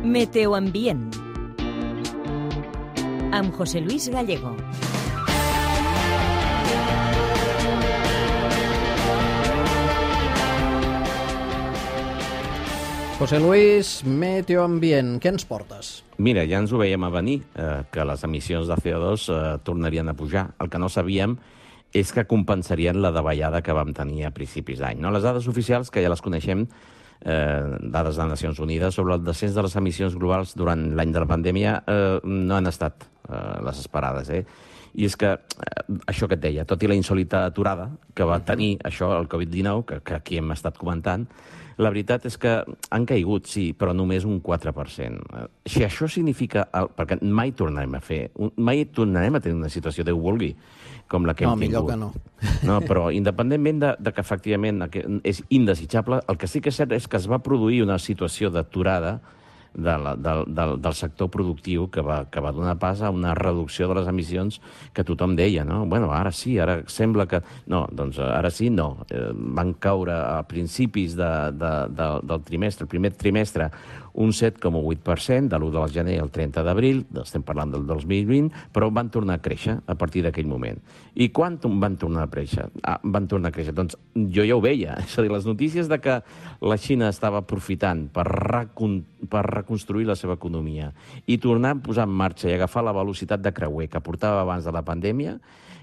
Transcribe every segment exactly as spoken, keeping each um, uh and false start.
Meteoambient amb José Luis Gallego. José Luis, Meteoambient, què ens portes? Mira, ja ens ho veiem a venir, eh, que les emissions de C O dos eh, tornarien a pujar. El que no sabíem és que compensarien la davallada que vam tenir a principis d'any. No? Les dades oficials, que ja les coneixem, eh, dades de Nacions Unides, sobre el descens de les emissions globals durant l'any de la pandèmia, eh, no han estat eh, les esperades. Eh? I és que, eh, això que et deia, tot i la insòlita aturada que va tenir això, el covid dinou, que, que aquí hem estat comentant, la veritat és que han caigut, sí, però només un quatre per cent. Si això significa... El, perquè mai tornarem a fer... Mai tornarem a tenir una situació, Déu vulgui, com la que no, hem tingut. No, millor que no. No, però independentment de, de que efectivament és indesitjable, el que sí que és cert és que es va produir una situació d'aturada de la, del, del, del sector productiu que va, que va donar pas a una reducció de les emissions que tothom deia, no? Bueno, ara sí, ara sembla que... No, doncs ara sí, no. Eh, van caure a principis de, de, de, del trimestre, el primer trimestre, un set coma vuit per cent, de l'u de gener al trenta d'abril, estem parlant del dos mil vint, però van tornar a créixer a partir d'aquell moment. I quan van tornar a créixer? Ah, van tornar a créixer. Doncs jo ja ho veia. És a dir, les notícies de que la Xina estava aprofitant per, recon... per reconstruir la seva economia i tornar a posar en marxa i agafar la velocitat de creuer que portava abans de la pandèmia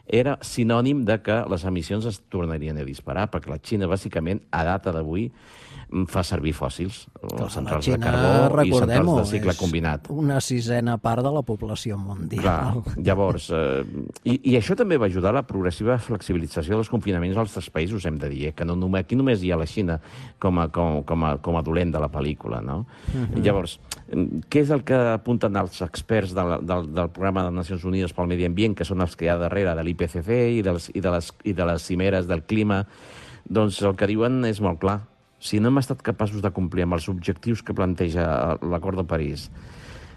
era sinònim de que les emissions es tornarien a disparar, perquè la Xina, bàsicament, a data d'avui, fa servir fòssils, Clar, centrals Xina, de carbó i centrals de cicle és combinat. Una sisena part de la població mundial. Clar, llavors, eh, i, i això també va ajudar a la progressiva flexibilització dels confinaments als altres països, hem de dir, eh, que no, aquí només hi ha la Xina com a, com, com a, com a dolent de la pel·lícula, no? Uh-huh. Llavors, què és el que apunten els experts del, del, del programa de Nacions Unides pel Medi Ambient, que són els que hi ha darrere de l'I P C C i de les, i de les, i de les cimeres del clima? Doncs el que diuen és molt clar. Si no hem estat capaços de complir amb els objectius que planteja l'Acord de París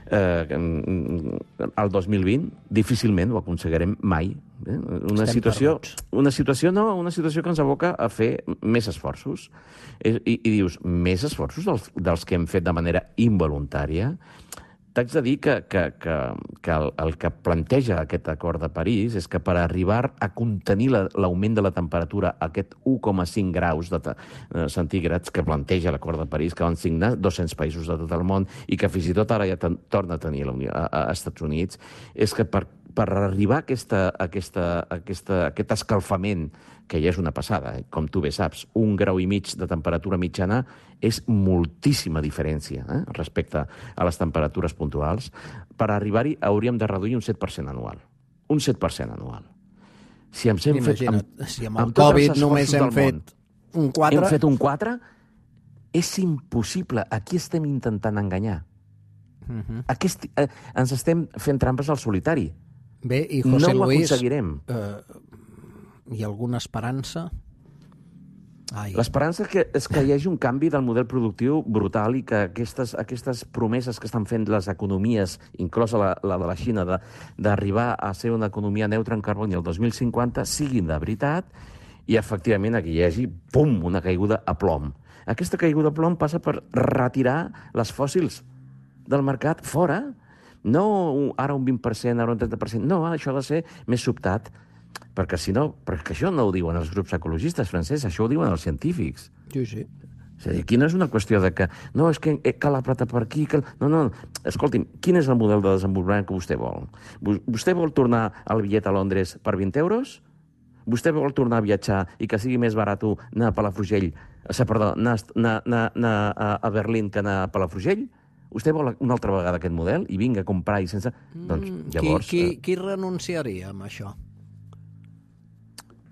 eh, el dos mil vint, difícilment ho aconseguirem mai. Eh? Una Estem situació, perduts. una situació, no, una situació que ens aboca a fer més esforços. I, i, i dius, més esforços dels, dels que hem fet de manera involuntària? T'haig de dir que, que, que, que el, el que planteja aquest acord de París és que per arribar a contenir l'augment la, de la temperatura a aquest u coma cinc graus de uh, centígrads que planteja l'acord de París, que van signar dos-cents països de tot el món i que fins i tot ara ja ten, torna a tenir la Unió, a, a Estats Units, és que per, per arribar a, aquesta, a, aquesta, a aquesta, a aquest escalfament, que ja és una passada, eh? Com tu bé saps, un grau i mig de temperatura mitjana és moltíssima diferència eh? respecte a les temperatures puntuals. Per arribar-hi hauríem de reduir un set per cent anual. Un set per cent anual. Si hem fet, Imagina't, amb, si amb el amb Covid només hem fet món, un quatre... Hem fet un quatre? És impossible. Aquí estem intentant enganyar. Uh-huh. Aquí esti, eh, ens estem fent trampes al solitari. Bé, i José no ho Luis, aconseguirem. Eh, hi ha alguna esperança? Ai. L'esperança és que, és que hi hagi un canvi del model productiu brutal i que aquestes, aquestes promeses que estan fent les economies, inclosa la, la de la Xina, d'arribar a ser una economia neutra en carboni el dos mil cinquanta, siguin de veritat i, efectivament, aquí hi hagi, pum, una caiguda a plom. Aquesta caiguda a plom passa per retirar les fòssils del mercat fora. No ara un vint per cent, ara un trenta per cent. No, això ha de ser més sobtat. Perquè si no, perquè això no ho diuen els grups ecologistes, Francesc, això ho diuen els científics. Sí, sí. És a dir, aquí no és una qüestió de que no, és que cal apretar per aquí, cal... No, no, escolti'm, quin és el model de desenvolupament que vostè vol? Vostè vol tornar al bitllet a Londres per vint euros? Vostè vol tornar a viatjar i que sigui més barat anar a Palafrugell, perdó, anar, anar, anar a Berlín que anar a Palafrugell? Vostè vol una altra vegada aquest model i vinga a comprar i sense... Mm, doncs llavors... Qui, qui, qui renunciaria amb això?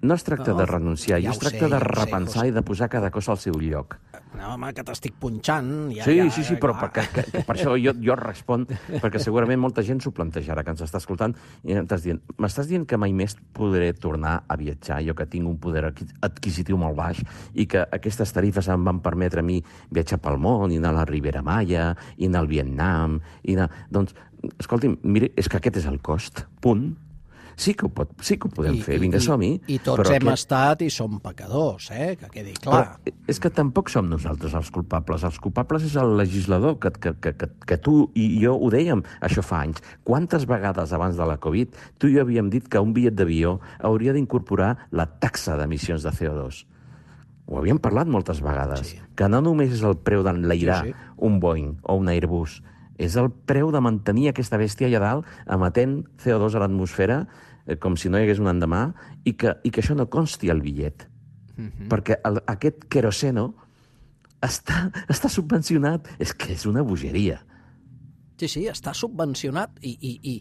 No es tracta no, de renunciar, ja es tracta sé, de ja repensar sé, i de posar cada cosa al seu lloc. No, home, que t'estic punxant. Ja, sí, ja, sí, sí, però perquè, que, que per això jo, jo respon, perquè segurament molta gent s'ho plantejarà, que ens està escoltant, i m'estàs dient, m'estàs dient que mai més podré tornar a viatjar, jo que tinc un poder adquisitiu molt baix, i que aquestes tarifes em van permetre a mi viatjar pel món, i anar a la Ribera Maya, i anar al Vietnam, i anar... Doncs, escolti'm, mire, és que aquest és el cost, punt. sí que ho, pot, sí que ho podem I, fer, vinga, som-hi. I, i tots hem aquest... estat i som pecadors, eh? Que quedi clar. Però és que tampoc som nosaltres els culpables. Els culpables és el legislador, que, que, que, que, que tu i jo ho dèiem, això fa anys. Quantes vegades abans de la Covid tu i jo havíem dit que un bitllet d'avió hauria d'incorporar la taxa d'emissions de C O dos. Ho havíem parlat moltes vegades, sí. Que no només és el preu d'enlairar sí, sí. un Boeing o un Airbus, és el preu de mantenir aquesta bèstia allà dalt emetent C O dos a l'atmosfera eh, com si no hi hagués un endemà i que, i que això no consti al bitllet. Mm-hmm. Perquè el, aquest queroseno està, està subvencionat. És que és una bogeria. Sí, sí, està subvencionat i, i, i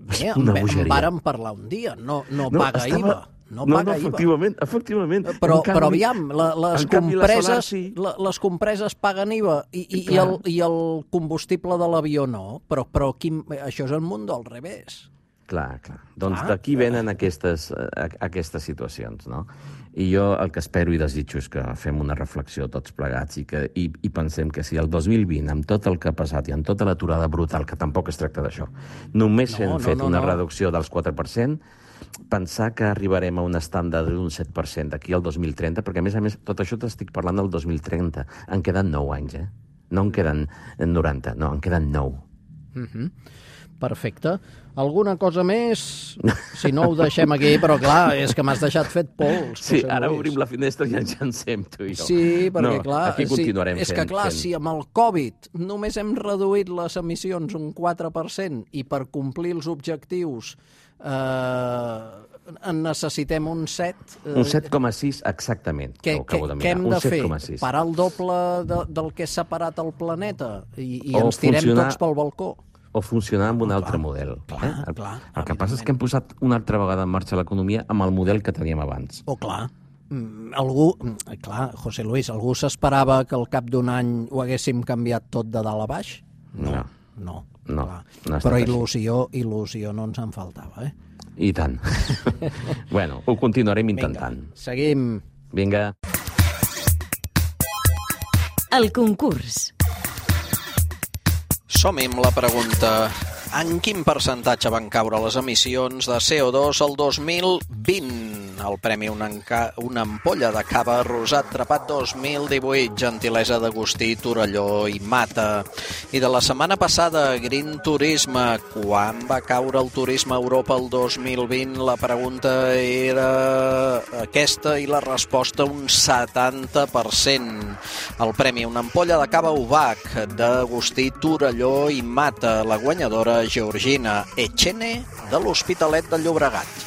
bé, en, en vàrem parlar un dia. No, no, no paga estava... I V A. No, no, paga no, efectivament, efectivament. Però, canvi, però aviam, la, les, compreses, la solar, sí. la, les compreses paguen I V A i, i, i, el, i el combustible de l'avió no, però, però aquí, això és el món del revés. Clar, clar. Doncs ah, d'aquí venen aquestes, aquestes situacions, no? I jo el que espero i desitjo és que fem una reflexió tots plegats i, que, i, i pensem que si el dos mil vint, amb tot el que ha passat i amb tota l'aturada brutal, que tampoc es tracta d'això, només no, hem no, fet no, una no. reducció dels quatre per cent, pensar que arribarem a un estàndard d'un set per cent d'aquí al dos mil trenta, perquè a més a més tot això t'estic parlant del dos mil trenta. En queden nou anys, eh? No en queden noranta, no, en queden nou. Mm-hmm. Perfecte. Alguna cosa més? Si no, ho deixem aquí, però clar, és que m'has deixat fet pols. Sí, ara Lluís. Obrim la finestra i ens llancem, tu i jo. Sí, perquè no, clar... aquí continuarem sí, és fent, que clar, fent. Si amb el Covid només hem reduït les emissions un quatre per cent i per complir els objectius eh, en necessitem un set... Eh, un set coma sis, exactament. Què, què, què hem de fer? Parar el doble de, del que s'ha parat el planeta i, i ens tirem funcionar... tots pel balcó? O funcionar amb un oh, altre clar, model. Clar, eh? el, clar, el que passa és que hem posat una altra vegada en marxa l'economia amb el model que teníem abans. Oh, clar. Algú, clar, José Luis, algú s'esperava que al cap d'un any ho haguéssim canviat tot de dalt a baix? No, no. no, no, no Però il·lusió, il·lusió no ens en faltava, eh? I tant. Bueno, ho continuarem intentant. Vinga, seguim. Vinga. El concurs. Som-hi amb la pregunta: en quin percentatge van caure les emissions de C O dos el dos mil vint? El premi una, una ampolla de cava rosat trepat dos mil divuit, gentilesa d'Agustí, Torelló i Mata. I de la setmana passada, Green Turisme, quan va caure el turisme a Europa el dos mil vint? La pregunta era aquesta i la resposta un setanta per cent. El premi una ampolla de cava Ubac d'Agustí, Torelló i Mata. La guanyadora, Georgina Echene, de l'Hospitalet de Llobregat.